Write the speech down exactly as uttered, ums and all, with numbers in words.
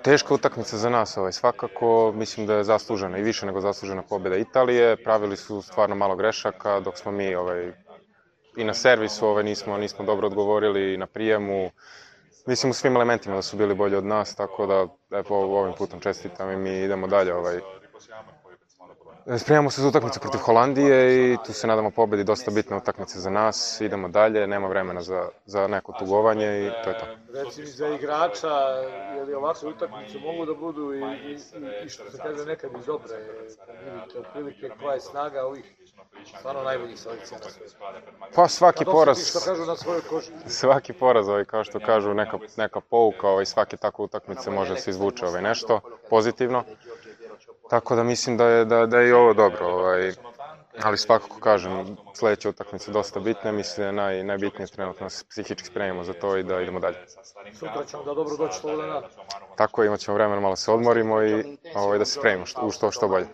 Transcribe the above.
Teška utakmica za nas, ovaj, svakako, mislim da je zaslužena i više nego zaslužena pobjeda Italije. Pravili su stvarno malo grešaka, dok smo mi ovaj, i na servisu ovaj, nismo, nismo dobro odgovorili, i na prijemu. Mislim u svim elementima da su bili bolji od nas, tako da evo, ovim putem čestitam i mi idemo dalje. Ovaj. Spremamo se za utakmicu protiv Holandije i tu se nadamo pobedi, dosta bitna utakmica za nas. Idemo dalje, nema vremena za, za neko tugovanje i to je to. Reci mi za igrača, je li ovakve utakmice mogu da budu i, i, i što se kaže nekad iz dobre, vidite otprilike koja je snaga ovih stvarno najboljih selekcija na svijetu. Pa svaki poraz, što kažu na svojoj koži. Svaki poraz, ovaj, kao što kažu, neka, neka pouka, ovaj, svake takve utakmice može da se izvuče ovaj, nešto pozitivno. Tako da mislim da je, da, da je i ovo dobro, ovaj, ali svakako kažem, sledeća utakmica je dosta bitna, mislim da je naj, najbitnije trenutno da se psihički spremimo za to i da idemo dalje. Sutra ćemo da dobro doći Slovenija. Tako, imat ćemo vremena malo se odmorimo i ovaj, da se spremimo što, u što, što bolje.